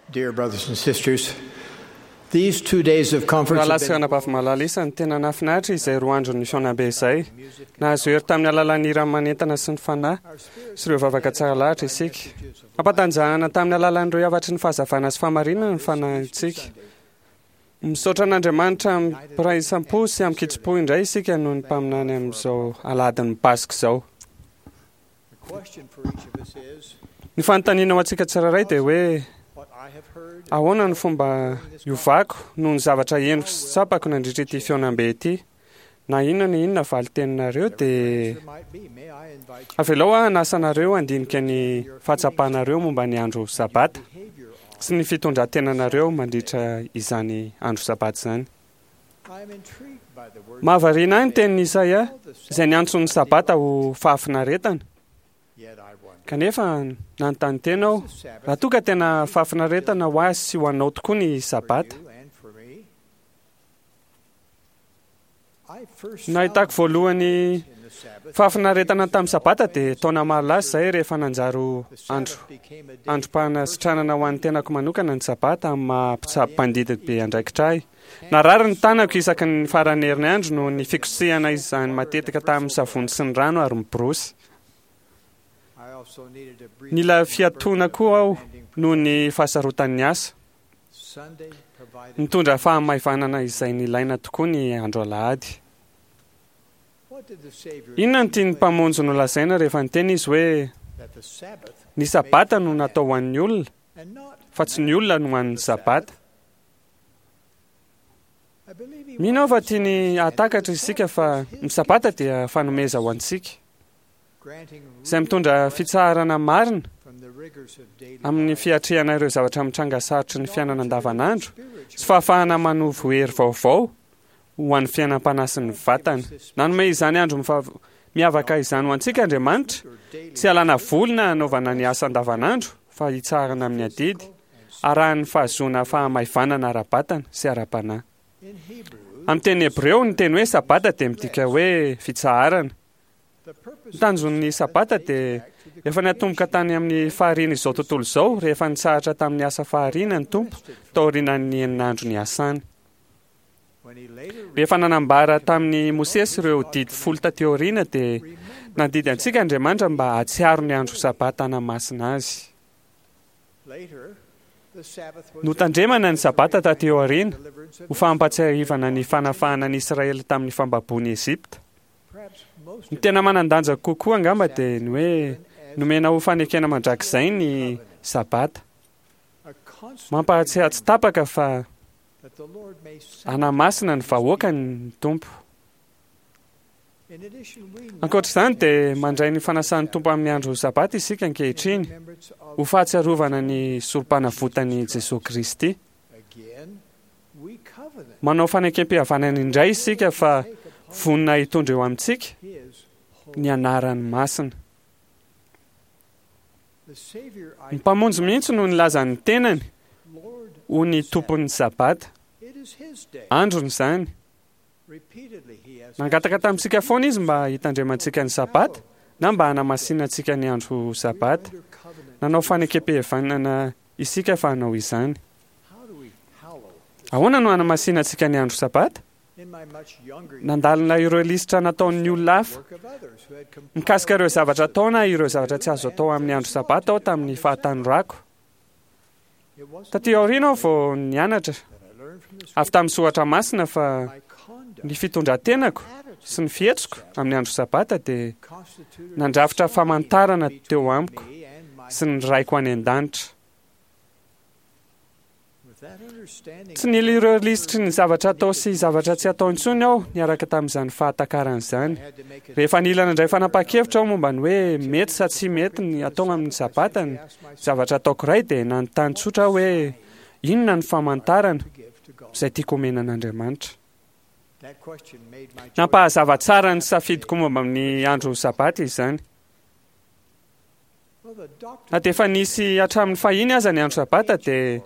Dear brothers and sisters, these 2 days of conference Rahalahy have sy been anabavy malala isany, tena nahafinaritra izay 2 andron'ny fihaonambe izay. Nahazo hery tamin'ny alalan'ny hira manentana sy ny fanahy sy ireo vavaka tsara lahatra isika. Nampatanjahana tamin'ny alalan'ireo hafatry ny fahazavana sy fahamarinana ny fanahintsika. Misaotra an'Andriamanitra amim-piraisam-po sy amin-kitsim-po indray isika noho ny mpaminany amin'izao alahadin'ny Paska izao. Ny fanontaniana ho antsika tsirairay dia hoe, ahoana ny fomba hiovako noho ny zavatra henoko sy tsapako nandritra ity fihaonambe ity? Na inona na inona valin-teninareo dia avelao aho hanasa anareo handinika ny fahatsapanareo momba ny andro Sabata sy ny fitondran-tenanareo mandritra izany andro Sabata izany. Mahavariana ahy ny tenin'i Isaia izay niantso ny Sabata ho fahafinaretana. Kanefa nanontany tena aho raha toa ka tena fahafinaretana ho ahy sy ho anao tokoa ny Sabata. Nahitako voalohany fahafinaretana tamin'ny Sabata dia taona maro lasa izay rehefa nanjary ho andro androm-panasitranana ho an'ny tenako manokana ny Sabata amin'ny maha mpitsabo mpandidy be andraikitra ahy. Narary ny tanako isaky ny faran'ny herinandro noho ny fikosehana izany matetika tamin'ny savony sy ny rano ary ny borosy. Nila fiatoana koa aho noho ny fahasarotan'ny asa. Nitondra fahamaivanana izay nilaina tokoa ny andro alahady. Inona no tian'ny Mpamonjy nolazaina rehefa niteny Izy hoe, Ny Sabata no natao ho an'ny olona, fa tsy ny olona no an'ny Sabata? Mino aho fa tiany hahatakatra isika fa ny Sabata dia fanomeza ho antsika, izay mitondra fitsaharana marina amin'ny fiatrehana ireo zavatra mitranga sarotry ny fiainana andavanandro sy fahafahana manovo hery vaovao ho an'ny fiainam-panahy sy ny vatana. Nanome izany andro miavaka izany ho antsika Andriamanitra, tsy hialana voly na hanaovana ny asa andavanandro, fa hitsaharana amin'ny adidy, arahin'ny fahazoana fahamaivanana ara-batana sy ara-panahy. Amin'ny teny hebreo, ny teny hoe Sabata dia midika hoe fitsaharana. Ny tanjon'ny Sabata dia efa niatomboka tany amin'ny fahariana izao tontolo izao rehefa nitsahatra tamin'ny asa fahariana ny Tompo taorianan'ny enina andro niasany. Rehefa nanambara tamin'i Mosesy ireo didy folo taty aoriana dia nandidy antsika Andriamanitra mba hahatsiaro ny andro Sabata hanamasina azy. Notandremana ny Sabata taty aoriana ho fampahatsiahivana ny fanafahana ny Israely tamin'ny fambaboan'i Egypta. Ny tena manan-danja kokoa angamba dia ny hoe nomena ho fanekena mandrakizay ny Sabata. Mampahatsiahy tsy tapaka fa hanamasina ny vahoakany ny Tompo. Ankoatra izany dia mandray ny fanasan'ny Tompo amin'ny andro Sabata isika ankehitriny ho fahatsiarovana ny sorom-panavotan'i Jesoa Kristy. Manao fanekempihavanana indray isika fa vonona hitondra eo amintsika ny anarany masina. Ny Mpamonjy mihitsy no nilaza ny tenany ho ny Tompon'ny Sabata. Androny izany. Nangataka tamintsika foana Izy mba hitandremantsika ny Sabata na mba hanamasinantsika ny andro Sabata. Nanao fanekempihavanana isika fa hanao izany. Ahoana no hanamasinantsika ny andro Sabata? Nandalina ireo lisitra nataon'ny olona hafa mikasika ireo zavatra atao na ireo zavatra tsy azo atao amin'ny andro Sabata aho tamin'ny fahatanorako. Taty aoriana aho vao nianatra avy tamin'ny soratra masina fa ny fitondran-tenako sy ny fihetsiko amin'ny andro Sabata dia nandrafitra famantarana teo amiko sy ny Raiko any an-danitra. Tsy nila ireo lisitry ny zavatra atao sy zavatra tsy atao intsony aho niaraka tamin'izany fahatakarana izany. Rehefa nila nandray fanapahan-kevitra aho momba ny hoe mety sa tsy mety ny atao amin'ny Sabata ny zavatra ataoko iray dia nanontany tsotra aho hoe inona ny famantarana izay tiako omena an'Andriamanitra. Nampahazava tsara ny safidiko momba ny andro Sabata izany. Na dia efa nisy hatramin'ny fahiny aza ny andro Sabata dia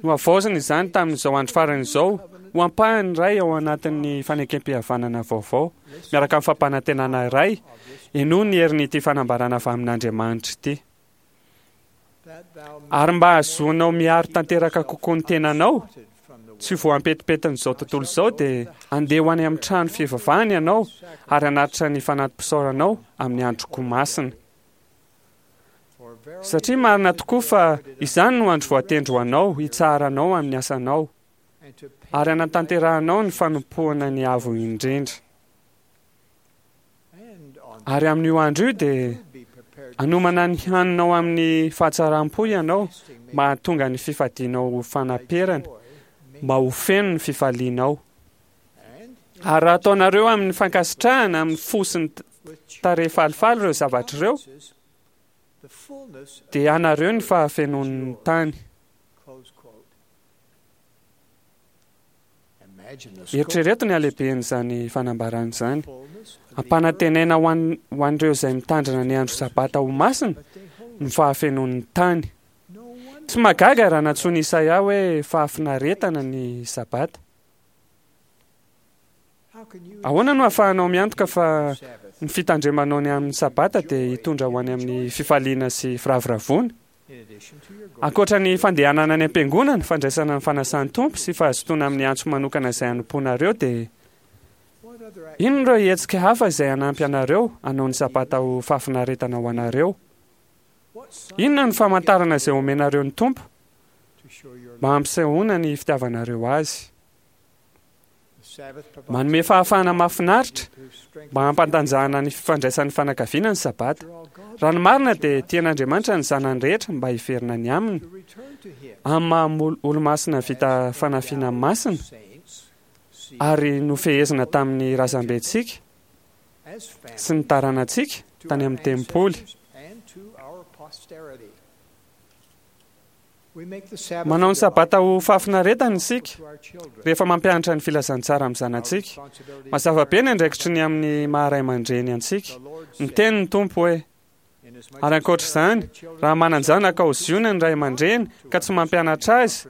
nohavaozina izany tamin'izao andro farany izao ho ampahany iray ao anatin'ny fanekempihavanana vaovao, miaraka amin'ny fampanantenana iray, henoy ny herin'ity fanambarana avy amin'Andriamanitra ity. Ary mba hahazoanao miaro tanteraka kokoa ny tenanao tsy ho voampetipetin'izao tontolo izao, dia andeha ho any amin'ny trano fivavahana ianao ary hanatitra ny fanati-pisaoranao amin'ny androko masina. Satria marina tokoa fa izany no andro voatendry ho anao hitsaharanao amin'ny asanao ary hanatanterahanao ny fanompoana ny Avo Indrindra. Ary amin'io andro io dia hanomana ny haninao amin'ny fahatsaram-po ianao mba hahatonga ny fifadianao ho fanaperana, mba ho feno ny fifalianao. Ary raha ataonareo amin'ny fankasitrahana amin'ny fo sy ny tarehy falifaly ireo zavatra ireo, dia anareo ny fahafenoan'ny tany. Eritrereto ny halehiben'izany fanambarana izany. Ampanantenaina ho an, ho an'ireo izay mitandrina ny andro Sabata ho masina ny fahafenoan'ny tany. Tsy mahagaga raha nantsoin'i Isaia hoe fahafinaretana ny Sabata. Ahoana no ahafahanao miantoka fa ny fitandremanao ny amin'ny Sabata dia hitondra ho any amin'ny fifaliana sy firavoravoana? Ankoatra ny fandehanana any am-piangonana, fandraisana ny fanasan'ny Tompo sy fahazotoana amin'ny antso manokana izay hanompoanareo dia inona ireo hetsika hafa izay hanampy anareo hanao ny Sabata ho fahafinaretana ho anareo? Inona no famantarana izay omenareo ny Tompo mba hampisehoana ny fitiavanareo Azy? Manome fahafahana mahafinaritra mba hampantanjahana ny fifandraisan'ny fanakaviana ny Sabata. Raha ny marina dia tian'Andriamanitra ny zanany rehetra mba hiverina any aminy. Amin'ny maha olomasina vita fanafiana masina ary nofehezina tamin'ny razambentsika sy ny taranantsika tany amin'ny tempoly. Manao ny Sabata ho fahafinaretana isika rehefa mampianatra ny filazantsara amin'ny zanatsika. Mazava be ny andraikitry ny amin'ny maha ray aman-dreny antsika. Niteny ny Tompo hoe, Ary ankoatra izany, raha manan-janaka ao Ziona ny ray aman-dreny ka tsy mampianatra azy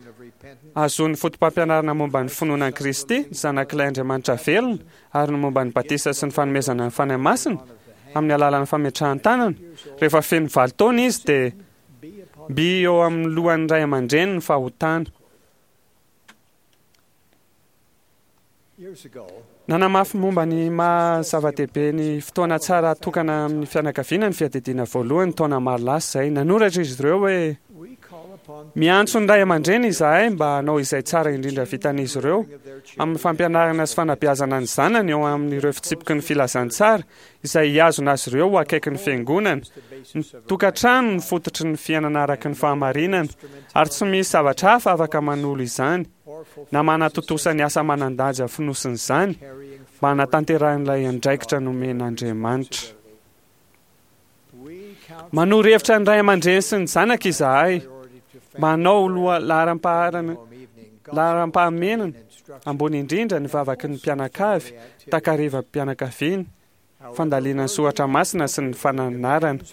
hahazoany fotopampianarana momba ny finoana an'i Kristy, ny Zanak'ilay Andriamanitra velona, ary ny momba ny batisa sy ny fanomezana ny Fanahy Masina amin'ny alalan'ny fametrahan-tanana, rehefa feno valo taona izy dia Mby eo amin'ny lohan'ny ray aman-dreny ny fahotana. Nanamafy momba ny maha zava-dehibe ny fotoana tsara atokana amin'ny fianakaviana ny fiadidiana voalohany taona maro lasa izay. Nanoratra izy ireo hoe, Miantso ny ray aman-dreny izahay mba hanao izay tsara indrindra vitan'izy ireo amin'ny fampianarana sy fanabeazana ny zanany eo amin'ireo fitsipiky ny filazantsara izay hihazona azy ireo ho akaiky ny Fiangonana. Ny tokantrano no fototry ny fiainana araka ny fahamarinana, ary tsy misy zavatra hafa afaka manolo izany, na manatontosa ny asa manan-danja fonosin'izany, mba hanatanterahan'ilay andraikitra nomen'Andriamanitra. Manoro hevitra ny ray aman-dreny sy ny zanaka izahay mba hanao loha laharam-paharana laharam-pahamenana ambony indrindra ny vavaky ny mpianakavy, takarivam-pianakaviana, fandalinana soratra masina sy ny fananarana,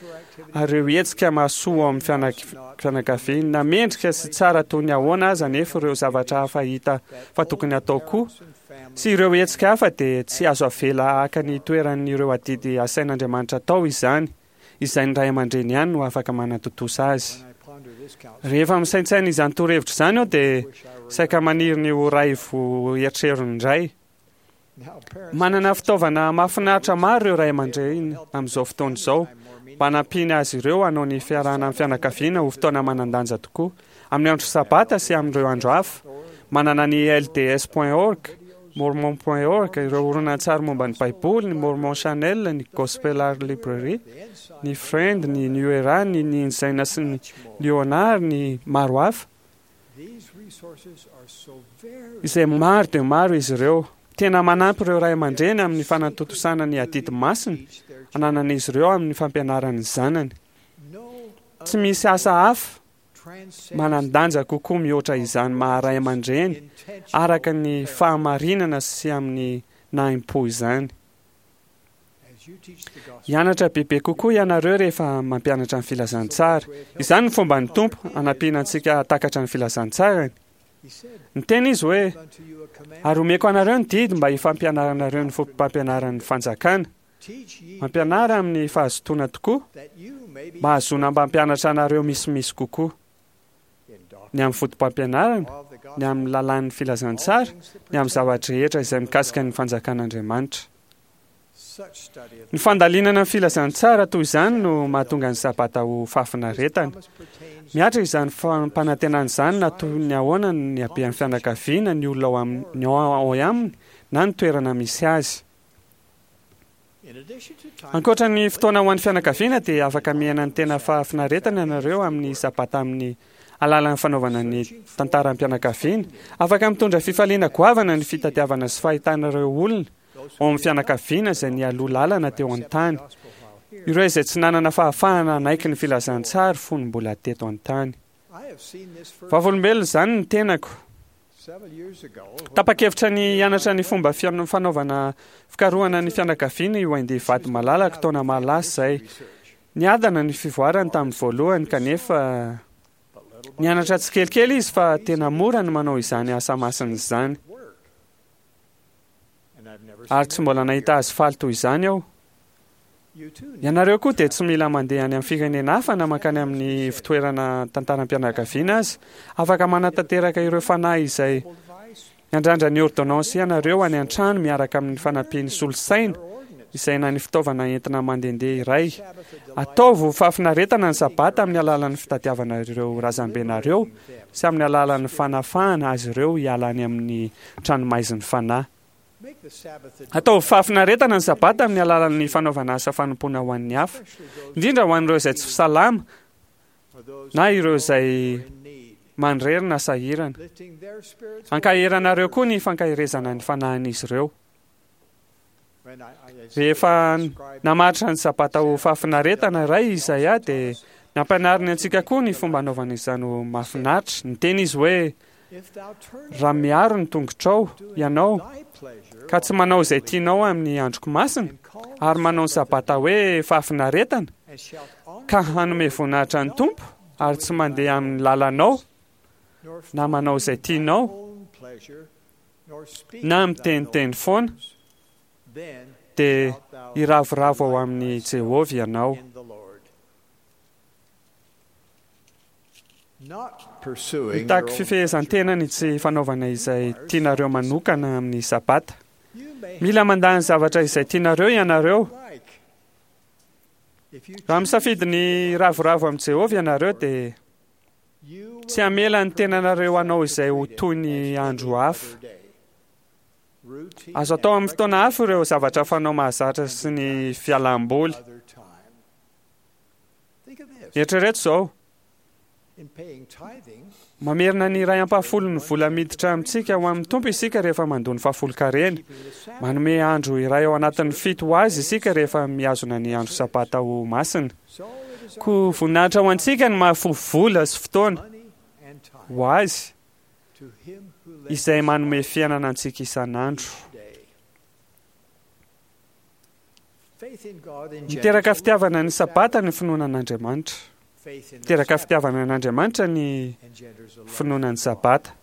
ary ireo hetsika mahasoa ao amin'ny fianakaviana. Na mendrika sy tsara toy ny ahoana aza anefa ireo zavatra hafa hita fa tokony hatao koa, sy ireo hetsika hafa dia tsy azo avela haka ny toeran'ireo adidy asain'Andriamanitra atao izany, izay ny ray aman-dreny ihany no afaka manatontosa azy. Rehefa misaintsaina izany torohevitra izany aho dia saika maniry ny ho ray vo eritreriny indray. Manana fitaovana mahafinaritra maro ireo ray aman-dreny amin'izao fotoana izao mba hanampiany azy ireo hanao ny fiarahana amin'ny fianakaviana ho fotoana manan-danja tokoa. Amin'ny andro Sabata sy amin'ireo andro hafa. Manana ny LDS point org, Mormon point org, ireo horonantsary momba ny Baiboly, ny Mormon Channel, ny Gospel Art Library, ny Friend, ny New Era, ny ny Ensign sy ny Liona ary ny maro hafa. Izay maro dia maro izy ireo. Tena manampy ireo ray aman-dreny amin'ny fanatontosana ny adidy masina ananan'izy ireo amin'ny fampianarany ny zanany. Tsy misy asa hafa manan-danja kokoa mihoatra izany maha ray aman-dreny araka ny fahamarinana sy amin'ny nahim-po izany. Hianatra bebe kokoa ianareo rehefa mampianatra ny filazantsara. Izany ny fomban'ny Tompo hanampiana antsika hahatakatra ny filazantsarany. Niteny Izy hoe, Ary omeko anareo ny didy mba hifampianaranareo ny foto-pampianaran'ny fanjakana. Mampianara amin'ny fahazotoana tokoa, mba hahazoana mba hampianatra anareo misimisy kokoa ny amin'ny fotopampianarana, ny amin'ny lalàn'ny filazantsara, ny amin'ny zava-drehetra izay mikasika ny fanjakan'Andriamanitra. Ny fandalinana ny filazantsara toy izany no mahatonga ny Sabata ho fahafinaretana. Mihatra izany fampanantenana izany na toy ny ahoana ny habean'ny fianakaviana, ny olona ao aminy, ao aminy na ny toerana misy azy. Ankoatra ny fotoana ho an'ny fianakaviana dia afaka miaina ny tena fahafinaretana ianareo amin'ny Sabata amin'ny alalan'ny fanaovana ny tantaram-pianakaviana. Afaka mitondra fifaliana goavana ny fitadiavana sy fahitana ireo olona ao amin'ny fianakaviana izay nialoha lalana teo an-tany, ireo izay tsy nanana fahafahana hanaiky ny filazantsara fony mbola teto an-tany. Vavolombelona izany ny tenako. Tapa-kevitra ny hianatra ny fomba fanaovana fikarohana ny fianakaviana i Wendy vady malalako taona maro lasa izay. Niadana ny fivoarany tamin'ny voalohany kanefa nianatra tsikelikely izy fa tena mora ny manao izany asa masina izany. Ary tsy mbola nahita azy faly toy izany aho. Ianareo koa dia tsy mila mandeha any amin'ny firenena hafa na mankany amin'ny fitoerana tantaram-pianakaviana aza. Afaka manatanteraka ireo fanahy izay miandrandra ny ôrdônansy ianareo any an-trano miaraka amin'ny fanampian'ny solosaina izay na ny fitaovana entina mandehandeha iray. Ataovy ho fahafinaretana ny Sabata amin'ny alalan'ny fitadiavana ireo razambenareo sy amin'ny alalan'ny fanafahana azy ireo hiala any amin'ny tranomaizin'ny fanahy. Ataovy fahafinaretana ny Sabata amin'ny alalan'ny fanaovana asa fanompoana ho an'ny hafa, indrindra ho an'ireo izay tsy salama na ireo izay manirery na sahirana. Ankaheranareo koa ny fankaherezana ny fanahin'izy ireo. Rehefa namaritra ny Sabata ho fahafinaretana iray i Isaia dia nampianariny antsika koa ny fomba hanaovana izany ho mahafinaritra. Niteny izy hoe, Raha miaro ny tongotrao ianao ka tsy manao izay tianao amin'ny androko masina ary manao ny Sabata hoe fahafinaretana ka hanome voninahitra ny Tompo ary tsy mandeha amin'ny lalanao na manao izay tianao na miteniteny foana, dia hiravoravo ao amin'i Jehovah ianao. Mitaky fifehezan-tena ny tsy fanaovana izay tianareo manokana amin'ny Sabata. Mila mandà ny zavatra izay tianareo ianareo. Raha misafidy ny hiravoravo amin'i Jehovah ianareo, dia Tsy hamela ny tenanareo hanao izay ho toy ny andro hafa. Azo atao amin'ny fotoana hafa ireo zavatra fanao mahazatra sy ny fialam-boly. Eritrereto izao, Mamerina ny iray ampahafolon'ny vola miditra amintsika ho amin'ny Tompo isika rehefa mandoa ny fahafolonkarena. Manome andro iray ao anatin'ny fito ho azy isika rehefa mihazona ny andro Sabata ho masina. Koa voninahitra ho antsika ny mahafoy vola sy fotoana ho azy izay manome fiainana antsika isan'andro. Miteraka fitiavana ny Sabata ny finoana an'Andriamanitra. Miteraka fitiavana an'Andriamanitra ny finoana ny Sabata.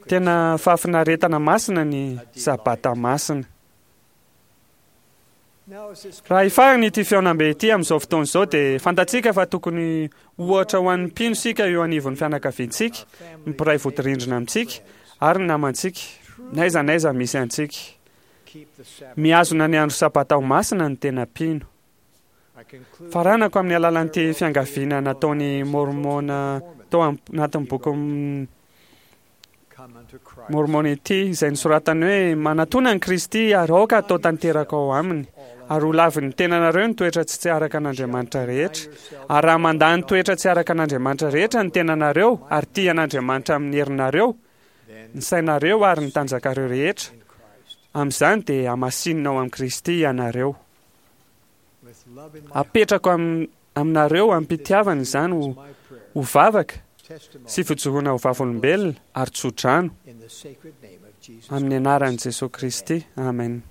Tena fahafinaretana masina ny Sabata masina. Raha hifarana ity fihaonambe ity amin'izao fotoana izao dia fantatsika fa tokony ohatra ho an'ny mpino isika eo anivon'ny fianakaviantsika, ny mpiray vodirindrina amintsika ary ny namantsika, n'aiza n'aiza misy antsika. Mihazona ny andro Sabata ho masina ny tena mpino. Faranako amin'ny alalan'ity fiangaviana nataon'i Môrmôna tao anatin'ny bokin'i Môrmôna ity, izay nosoratany hoe, Manatòna an'i Kristy ary aoka hatao tanteraka ao Aminy, ary ho lavin'ny tenanareo ny toetra tsy araka an'Andriamanitra rehetra. Ary raha mandà ny toetra tsy araka an'Andriamanitra rehetra ny tenanareo ary tia an'Andriamanitra amin'ny herinareo, ny sainareo ary ny tanjakareo rehetra, amin'izany dia hamasinina ao amin'i Kristy ianareo. Apetrako aminareo amim-pitiavana izany ho ho vavaka sy fijoroana ho vavolombelona ary tsodrano amin'ny anaran'i Jesoa Kristy. Amen.